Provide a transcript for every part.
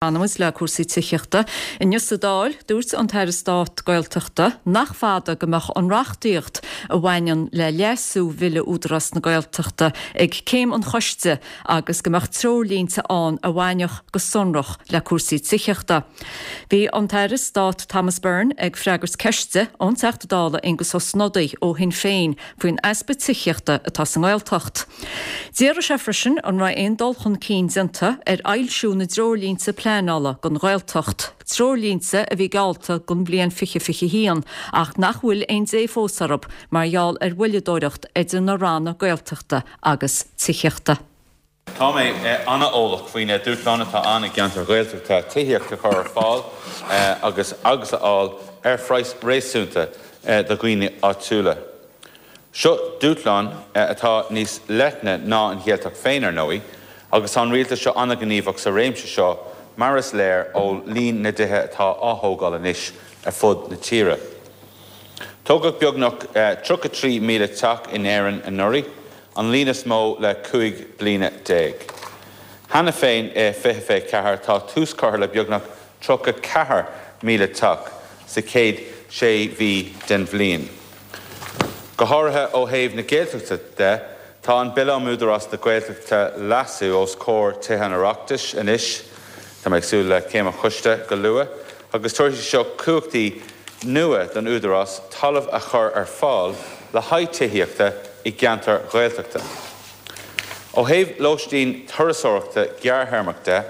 Fanfaimid le cúrsaí tithíochta. Inniu sa Dáil, dúirt an tAire Stáit Gaeltachta nach fada go mbeadh an reachtaíocht a bhaineann le leasú Bhille Údarás na Gaeltachta ag céim an choiste agus go mbeadh treoirlínte ann a bhainfeadh go sonrach le cúrsaí tithíochta. Bhí an tAire Stáit Thomas Byrne ag freagairt ceiste ón Teachta Dála Aengus Ó Snodaigh ó Shinn Féin faoin easpa tithíochta atá sa nGaeltacht. D'fhiafraigh sé freisin an raibh aon dul chun cinn déanta ar fhoilsiú na dtreoirlínte pleanála don Ghaeltacht, treoirlínte a bhí geallta don bhliain 2021 ach nach bhfuil aon dé fós orthu mar gheall ar mhoilleadóireacht idir na ranna Gaeltachta agus Tithíochta. Tá mé an-eolach faoi na dúshláin atá ann i gceantair Ghaeltachta tithíocht a chur ar fáil agus agus a fháil ar phraghas réasúnta do dhaoine áitiúla. Seo dúshlán atá níos leithne ná an Ghaeltacht féin, ar ndóigh, agus tá an Rialtas seo an-ghníomhach sa réimse seo mar is léir ó líon na dtithe atá á thógáil anois ar fud na tíre. Tógadh beagnach 33,000 teach in Éirinn anuraidh, an líon is mó le 15 bliana. Cheana féin i 2024 tá tús curtha le beagnach 34,000 teach sa chéad sé mhí den bhliain. Go háirithe ó thaobh na Gaeltachta de, tá an Bille um Údarás na Gaeltachta, Leasú, os comhair Tithe an Oireachtais anois, tá mé ag súil le céim an choiste go luath, agus tabharfaidh sé seo cumhachtaí nua don Údarás talamh a chur ar fáil le haghaidh tithíochta i gceantair Ghaeltachta. Ó thaobh lóistín turasóireachta gearrthéarmach de,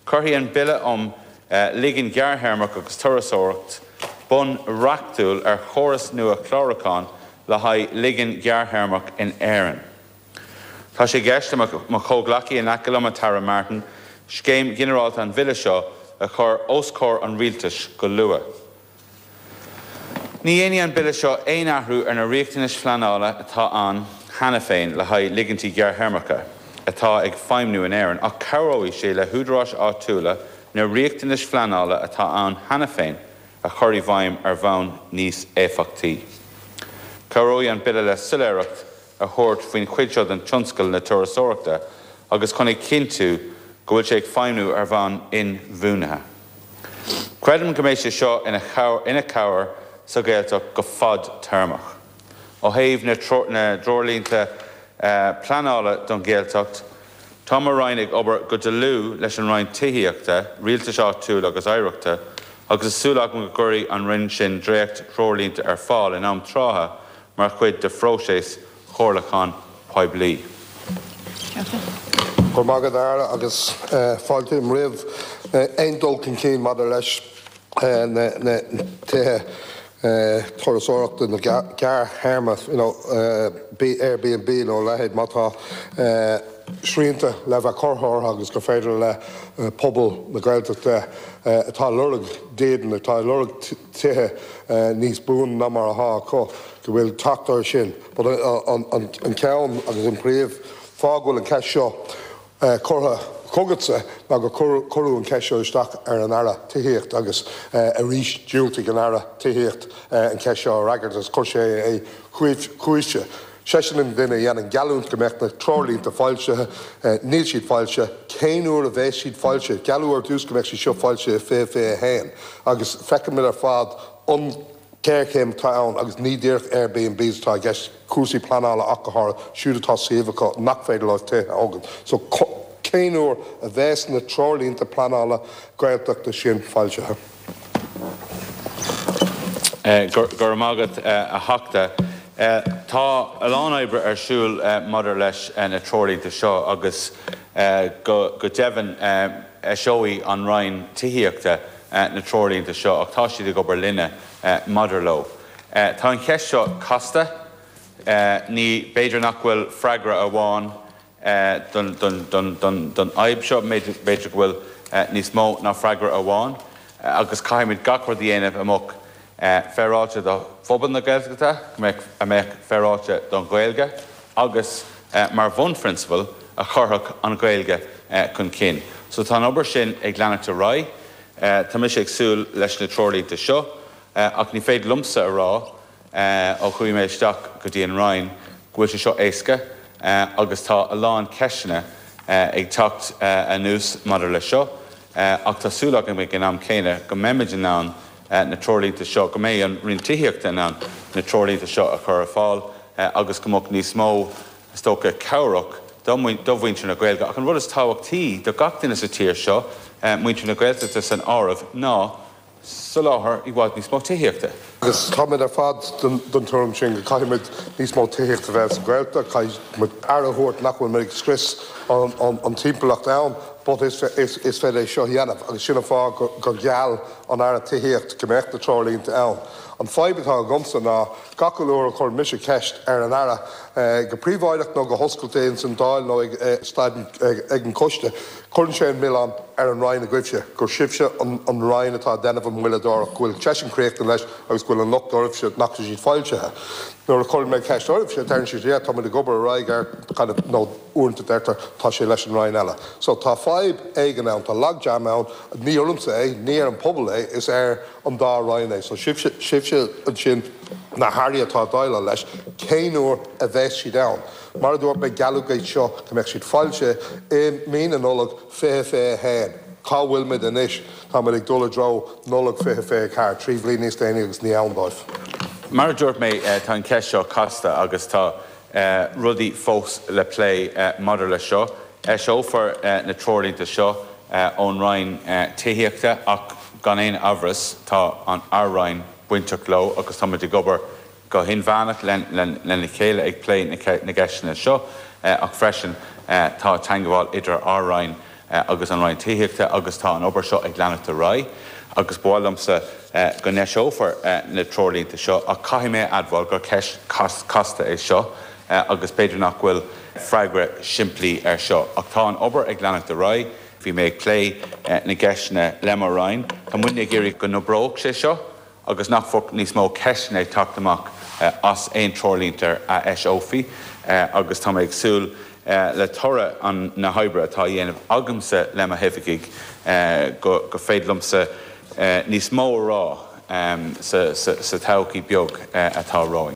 cuirfidh an Bille um Ligean Gearrthéarmach agus Turasóireacht bonn reachtúil ar chóras nua clárúcháin le haghaidh ligean gearrthéarmach in Éirinn. Tá sé i gceist le mo chomhghleacaí in aice liom, an tAire Martin, scéim ghinearálta an Bhille seo a chur os comhair an Rialtais go luath. Ní dhéanfaidh an Bille seo aon athrú ar na riachtanais phleanála atá ann cheana féin le haghaidh ligintí gearrthéarmacha atá ag feidhmiú in Éirinn ach cabhróidh sé le húdaráis áitiúla na riachtanais phleanála atá ann cheana féin a chur i bhfeidhm ar bhonn níos éifeachtaí. Cabhróidh an Bille le soiléireacht a thabhairt faoin chuid seo den tionscal na turasóireachta agus chun a chinntiú go bhfuil sé ag feidhmiú ar bhonn inbhuanaithe. Creidim go mbeidh sé seo ina chabhair sa Ghaeltacht go fadtéarmach. Ó thaobh na dtreoirlínte pleanála don Ghaeltacht, tá mo Roinn ag obair go dlúth leis an Roinn Tithíochta, Rialtais Áitiúil agus Oidhreachta agus tá súil agam go gcuirfidh an Roinn sin dréacht-threoirlínte ar fáil in am trátha mar chuid de phróiseas chomhairliúchán poiblí. Go raibh maith agat, a Aire, agus fáiltím roimh aon dul chun cinn maidir leis na tithe turasóireachta na gearrthéarma, you know, Airbnb nó a leithéid, má tá srianta le bheith curtha orthu agus gur féidir le pobal na Gaeltachta atá ag lorg dídean, atá ag lorg tithe níos buaine ná mar atá acu, go bhfuil teacht air sin. But an ceann agus an príomh fáth go bhfuil an cheist seo curtha chugatsa ná gur cuireadh an cheist seo isteach ar an Aire Tithíochta agus arís dhiúltaigh an Aire Tithíochta an cheist seo a fhreagairt agus chuir sé é chugaibhse. Seisean an duine a dhéanann geallúint go mbeadh na treoirlínte foilsithe. Níl siad foilsithe. Cén uair a bheas siad foilsithe? Gealladh ar dtús go mbeadh siad seo foilsithe i 2021 agus feicimid ar fad an ghéarchéim atá ann agus ní díreach Airbnbs atá i gceist, cúrsaí pleanála ach go háirithe, siúd atá suíomh acu nach féidir leo tithe a thógaint. So cén uair a bheas na treoirlínte pleanála Gaeltachta sin foilsithe? Go raibh maith agat, a Theachta. Tá a lán oibre ar siúl maidir leis na treoirlínte seo agus go deimhin eiseoidh an Roinn Tithíochta na treoirlínte seo ach tá siad ag obair linne maidir leo. Tá an cheist seo casta. Ní, b'fhéidir nach bhfuil freagra amháin don fhadhb seo, b'fhéidir go bhfuil níos mó ná freagra amháin agus caithfimid gach rud a dhéanamh a mbeadh féaráilte do phobal na Gaeltachta, a mbeadh féaráilte don Ghaeilge agus, mar bhunphrionsabal, a chuirfeadh an Ghaeilge chun cinn. So tá an obair sin ag leanacht ar aghaidh. Tá mise ag súil leis na treoirlínte seo ach ní féidir liomsa a rá, ó chuaigh mé isteach go dtí an Roinn, go bhfuil sé seo éasca agus tá a lán ceisteanna ag teacht anuas maidir leis seo. Ach tá súil agam ag an am céanna go mbeimid in ann na treoirlínte seo, go mbeidh an Roinn Tithíochta in ann na treoirlínte seo a chur ar fáil agus go mbeadh níos mó, is dócha, cabhrach do mhuintir na Gaeilge. Ach an rud is tábhachtaí do gach duine sa tír seo, muintir na Gaeltachta san áireamh, ná soláthar i bhfad níos mó tithíochta. Agus táimid ar fad den tuairim sin go gcaithfimid níos mó tithíochta a bheith sa Ghaeltacht, caithfidh muid aire a thabhairt nach bhfuil muid ag scrios an timpeallacht ann but is féidir é seo a dhéanamh agus sin an fáth gur gheall an Aire Tithíocht go mbeadh na treoirlínte ann. An fadhb atá agamsa ná gach uile uair a chuireann mise ceist ar an Aire, go príobháideach nó go hoscailte ins an Dáil nó ag staid ag an choiste, Cuireann sé an milleán ar an Roinn agaibhse, gur sibhse an Roinn atá ag déanamh an mhoilleadóireacht, go bhfuil seisean críochnaithe leis agus go bhfuil an locht oraibhse nach bhfuil siad foilsithe. Nuair a chuireann mé ceist oraibhse, deireann siad yeah, tá muid ag obair ar aghaidh air kind of nó uaireanta deirtear tá sé leis an Roinn eile. So tá fadhb éigin ann, tá logjam ann, ní ormsa é, ní ar an pobal é, is ar an dá Roinn é. So sibhse, sibhse ansin na hAirí atá ag déileáil leis, cén uair a bheas siad ann? Mar a dúirt mé, gealladh iad seo go mbeadh siad foilsithe i mí na Nollag 2021. Cá bhfuil muid anois? Tá muid ag dul i dtreo Nollaig 2024, 3 bhliain níos déanaí agus ní ann dóibh. Mar a dúirt mé, tá an cheist seo casta agus tá rudaí fós le plé maidir leis seo. Eiseofar na treoirlínte seo ón Roinn Tithíochta ach gan aon amhras tá ár Roinn bainteach leo agus tá muid ag obair go hinmheánach lena chéile ag plé na gceisteanna seo ach freisin tá teagmháil idir ár Roinn agus an Roinn Tithíochta agus tá an obair seo ag leanacht ar aghaidh agus ba mhaith liomsa go n-eiseofar na treoirlínte seo ach caithfidh mé a admháil gur ceist chasta é seo agus b'fhéidir nach bhfuil freagra simplí air seo ach tá an obair ag leanacht ar aghaidh. Bhí mé ag plé na gceisteanna le mo Roinn. Tá muidne ag iarraidh go n-oibreodh sé seo. agus nach mbeadh níos mó ceisteanna ag teacht amach as aon treoirlínte a eiseofaí agus tá mé ag súil le toradh na hoibre atá á dhéanamh agamsa le mo hoifigigh go féidir liomsa níos mó a rá sa todhchaí beag atá romhainn.